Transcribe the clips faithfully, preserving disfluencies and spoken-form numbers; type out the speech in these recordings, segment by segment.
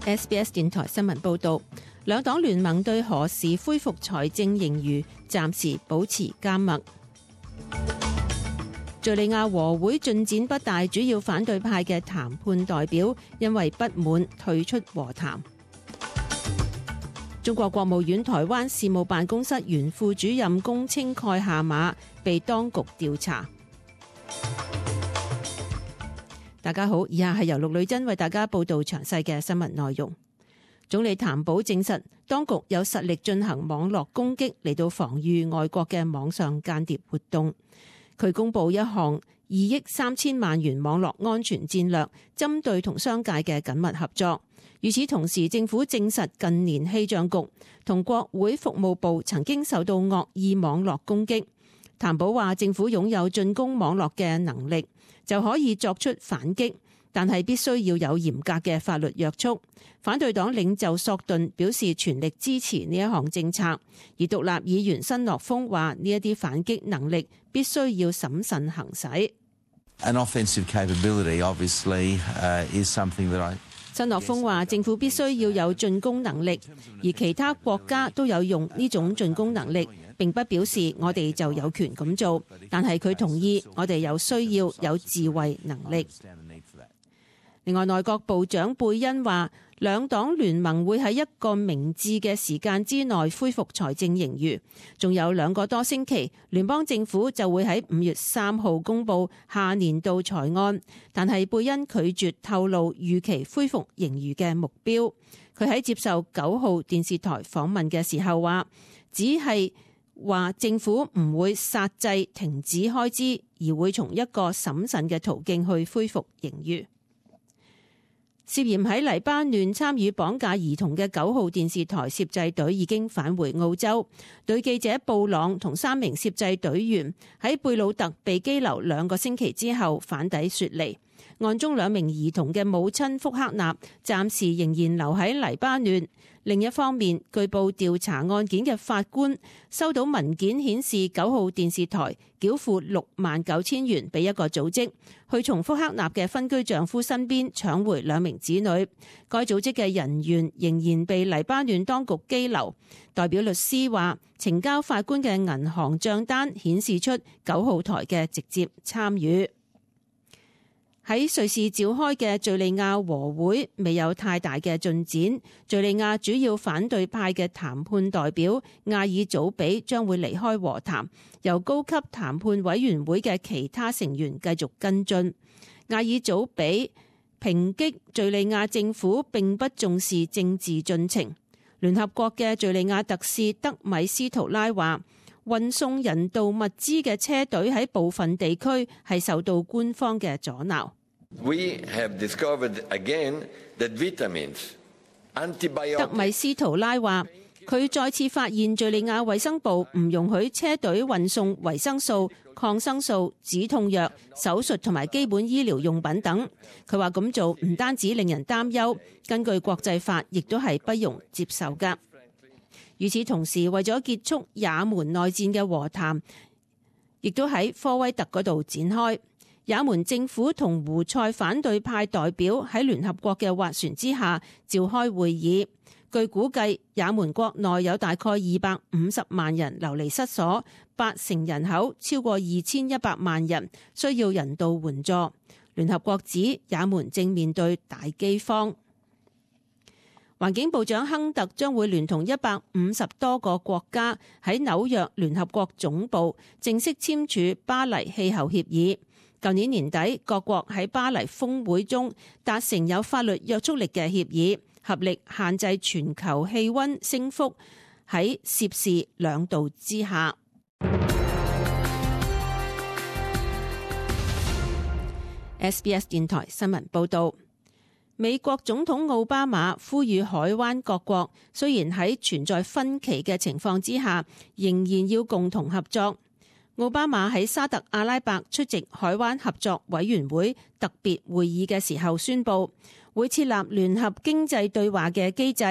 S B S 電台新聞報導，兩黨聯盟對何時恢復財政盈餘暫時保持緘默。敘利亞和會進展不大，主要反對派嘅談判代表因為不滿退出和談。中國國務院台灣事務辦公室原副主任龔青蓋下馬，被當局調查。大家好，以下係由陸女珍為大家報道詳細嘅新聞內容。總理譚寶證實，當局有實力進行網絡攻擊嚟到防禦外國嘅網上間諜活動。佢公布一項二億三千萬元網絡安全戰略，針對同商界嘅緊密合作。與此同時，政府證實近年氣象局同國會服務部曾經受到惡意網絡攻擊。譚寶話，政府擁有進攻網絡嘅能力，就可以作出反擊，但係必須要有嚴格嘅法律約束。反對黨領袖索頓表示全力支持呢一項政策，而獨立議員新樂峰話呢一啲反擊能力必須要審慎行使。An offensive capability obviously is something that I 新樂峰話政府必須要有進攻能力，而其他國家都有用呢種進攻能力，並不表示我哋就有權咁做，但係佢同意我哋有需要有自衛能力。另外，內閣部長貝恩話，兩黨聯盟會喺一個明智嘅時間之內恢復財政盈餘，仲有兩個多星期，聯邦政府就會喺五月三號公布下年度財案，但係貝恩拒絕透露預期恢復盈餘嘅目標。佢喺接受九號電視台訪問嘅時候話，只係話政府唔會剎制停止開支，而會從一個審慎嘅途徑去恢復盈餘。涉嫌喺黎巴嫩參與綁架兒童嘅九號電視台攝製隊已經返回澳洲。女記者布朗同三名攝製隊員喺貝魯特被羈留兩個星期之後返抵雪梨。案中兩名兒童嘅母親福克納暫時仍然留喺黎巴嫩。另一方面，據報調查案件嘅法官收到文件顯示，九號電視台繳付六萬九千元俾一個組織，去從福克納嘅分居丈夫身邊搶回兩名子女。該組織嘅人員仍然被黎巴嫩當局羈留。代表律師話，呈交法官嘅銀行賬單顯示出九號台嘅直接參與。喺瑞士召開嘅敘利亞和會未有太大嘅進展。敘利亞主要反對派嘅談判代表亞爾祖比將會離開和談，由高級談判委員會嘅其他成員繼續跟進。亞爾祖比抨擊敘利亞政府並不重視政治進程。聯合國嘅敘利亞特使德米斯圖拉話，運送人道物資嘅車隊喺部分地區係受到官方嘅阻撓。We have discovered again that vitamins, antibiotics. 德米斯圖拉話，佢再次發現敘利亞衛生部唔容許車隊運送維生素、抗生素、止痛藥、手術同埋基本醫療用品等。佢話咁做唔單止令人擔憂，根據國際法亦都係不容接受㗎。與此同時，為咗結束也門內戰嘅和談，亦都喺科威特嗰度展開。也門政府同胡塞反對派代表喺聯合國嘅斡旋之下召開會議。據估計，也門國內有大概二百五十萬人流離失所，八成人口超過二千一百萬人需要人道援助。聯合國指也門正面對大饑荒。環境部長亨特將會聯同一百五十多個國家喺紐約聯合國總部正式簽署巴黎氣候協議。舊年年底，各國喺巴黎峰會中達成有法律約束力嘅協議，合力限制全球氣溫升幅喺攝氏兩度之下。S B S 電台新聞報道，美國總統奧巴馬呼籲海灣各國，雖然喺存在分歧嘅情況之下，仍然要共同合作。奧巴馬喺沙特阿拉伯出席海灣合作委員會特別會議嘅時候宣布，會設立聯合經濟對話嘅機制，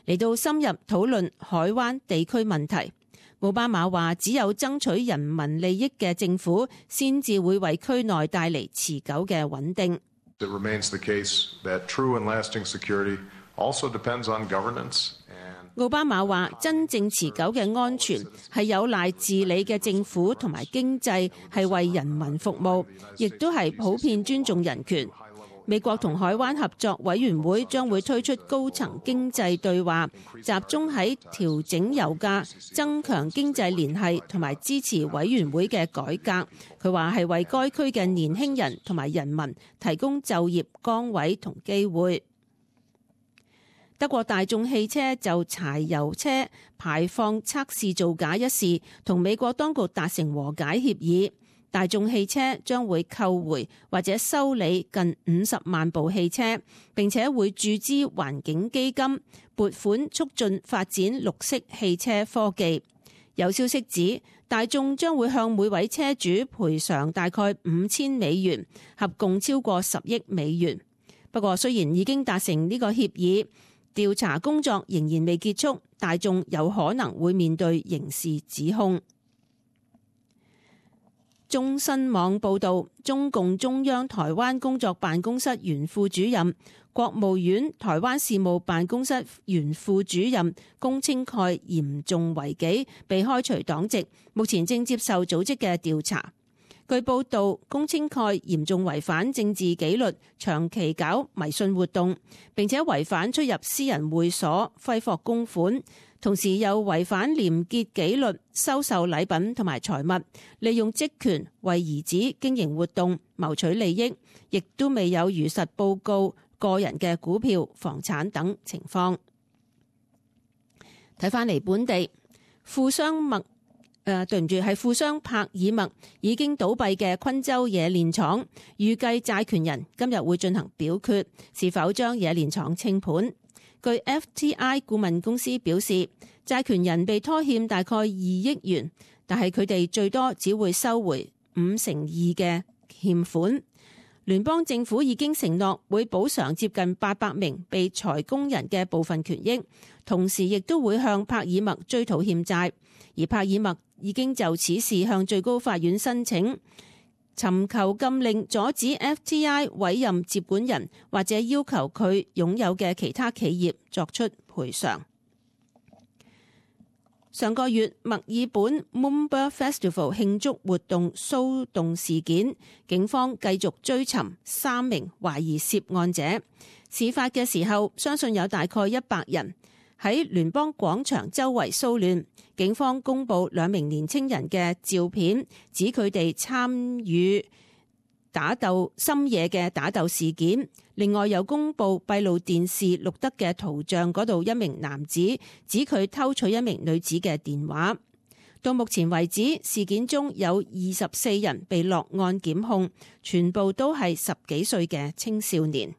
嚟到深入討論海灣地區問題。奧巴馬話，只有爭取人民利益嘅政府，先至會為區內帶嚟持久嘅穩定。It remains the case that true and lasting security also depends on governance. 奧巴馬話：真正持久嘅安全係有賴治理嘅政府同埋經濟係為人民服務，亦都係普遍尊重人權。美國同海灣合作委員會將會推出高層經濟對話，集中喺調整油價、增強經濟聯繫同埋支持委員會嘅改革。佢話係為該區嘅年輕人同埋人民提供就業崗位同機會。德國大眾汽車就柴油車排放測試造假一事，同美國當局達成和解協議。大眾汽車將會購回或者修理近五十萬部汽車，並且會注資環境基金，撥款促進發展綠色汽車科技。有消息指，大眾將會向每位車主賠償大概五千美元，合共超過十億美元。不過，雖然已經達成呢個協議，調查工作仍然未結束，大眾有可能會面對刑事指控。中新網報導，中共中央台灣工作辦公室原副主任、國務院台灣事務辦公室原副主任龔清蓋嚴重違紀，被開除黨籍，目前正接受組織嘅調查。據報道，龔清蓋嚴重違反政治紀律，長期搞迷信活動，並且違反出入私人會所、揮霍公款，同時又違反廉潔紀律，收受禮品同埋財物，利用職權為兒子經營活動，謀取利益，亦都未有如實報告個人嘅股票、房產等情況。睇返嚟本地，富商麥誒、呃，對唔住，係富商柏爾麥已經倒閉嘅昆州冶煉廠，預計債權人今日會進行表決，是否將冶煉廠清盤。據 F T I 顧問公司表示，債權人被拖欠大概二億元，但係佢哋最多只會收回五成二嘅欠款。聯邦政府已經承諾會補償接近八百名被裁工人嘅部分權益，同時亦都會向柏爾麥追討欠債。而柏爾麥已經就此事向最高法院申請，尋求禁令阻止 F T I 委任接管人，或者要求佢擁有嘅其他企業作出賠償。上個月墨爾本 Moomba Festival 慶祝活動騷動事件，警方繼續追尋三名懷疑涉案者。事發嘅時候，相信有大概一百人喺聯邦廣場周圍騷亂。警方公布兩名年青人嘅照片，指佢哋參與打鬥深夜嘅打鬥事件。另外又公布閉路電視錄得嘅圖像，嗰度一名男子指佢偷取一名女子嘅電話。到目前為止，事件中有二十四人被落案檢控，全部都係十幾歲嘅青少年。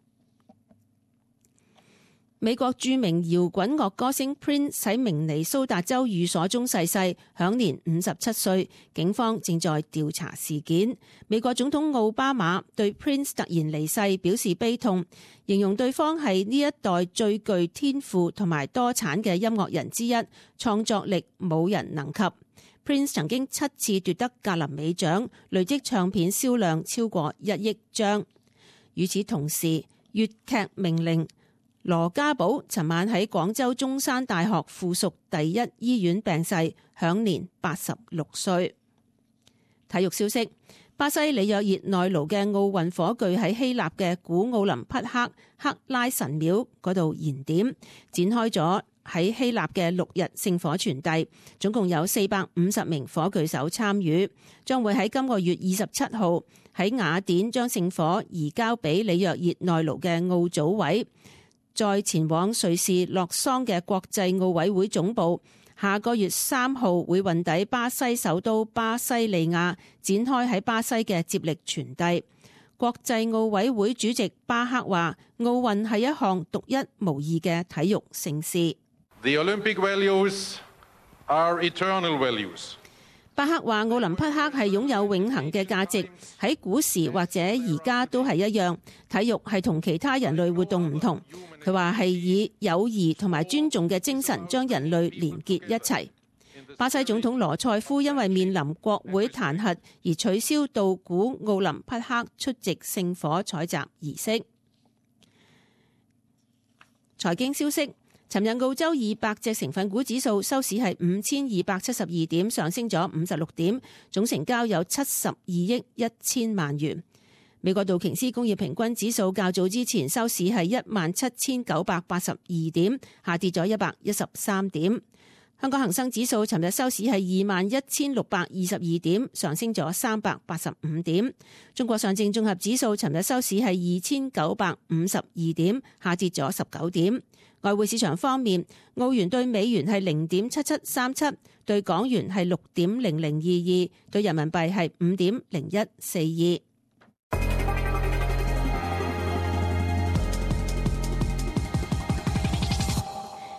美國著名搖滾樂歌星 Prince 喺明尼蘇達州寓所中逝世，享年五十七歲。警方正在調查事件。美國總統奧巴馬對 Prince 突然離世表示悲痛，形容對方係呢一代最具天賦同埋多產嘅音樂人之一，創作力冇人能及。Prince 曾經七次奪得格林美獎，累積唱片銷量超過一億張。與此同時，粵劇名伶羅家寶尋晚喺廣州中山大學附屬第一醫院病逝，享年八十六歲。體育消息：巴西里約熱內盧嘅奧運火炬喺希臘嘅古奧林匹克克拉神廟嗰度燃點，展開咗喺希臘嘅六日聖火傳遞，總共有四百五十名火炬手參與，將會喺今個月二十七號喺雅典將聖火移交俾里約熱內盧嘅奧組委。再前往瑞士洛桑嘅國際奧委會總部，下個月三號會運抵巴西首都巴西利亞，展開喺巴西嘅接力傳遞。國際奧委會主席巴克話：奧運係一項獨一無二嘅體育盛事。The Olympic values are eternal values. 巴克話：奧林匹克係擁有永恆嘅價值，喺古時或者而家都係一樣。體育係同其他人類活動唔同。佢話係以友誼同埋尊重嘅精神將人類連結一齊。巴西總統羅塞夫因為面臨國會彈劾而取消到古奧林匹克出席聖火採集儀式。財經消息，尋日澳洲二百隻成分股指數收市係五千二百七十二點，上升咗五十六點，總成交有七十二億一千萬元。美國道瓊斯工業平均指數較早之前收市係一萬七千九百八十二點，下跌咗一百一十三點。香港恒生指數尋日收市係二萬一千六百二十二點，上升咗三百八十五點。中國上證綜合指數尋日收市係二千九百五十二點，下跌咗十九點。外匯市場方面，澳元對美元係零點七七三七，對港元係六點零零二二，對人民幣係五點零一四二。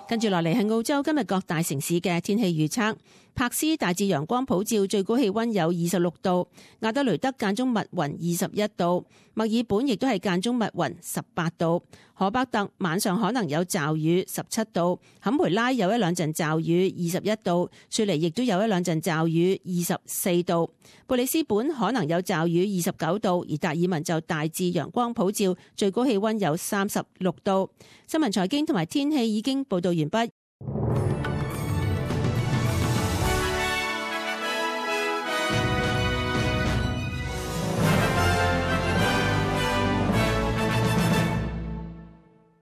跟住落嚟係澳洲今日各大城市嘅天氣預測。柏斯大致陽光普照，最高氣溫有二十六度；亞德雷德間中密雲二十一度；墨爾本亦都係間中密雲十八度；荷伯特晚上可能有驟雨十七度；坎培拉有一兩陣驟雨二十一度；雪梨亦都有一兩陣驟雨二十四度；布里斯本可能有驟雨二十九度；而達爾文就大致陽光普照，最高氣溫有三十六度。新聞財經同埋天氣已經報道完畢。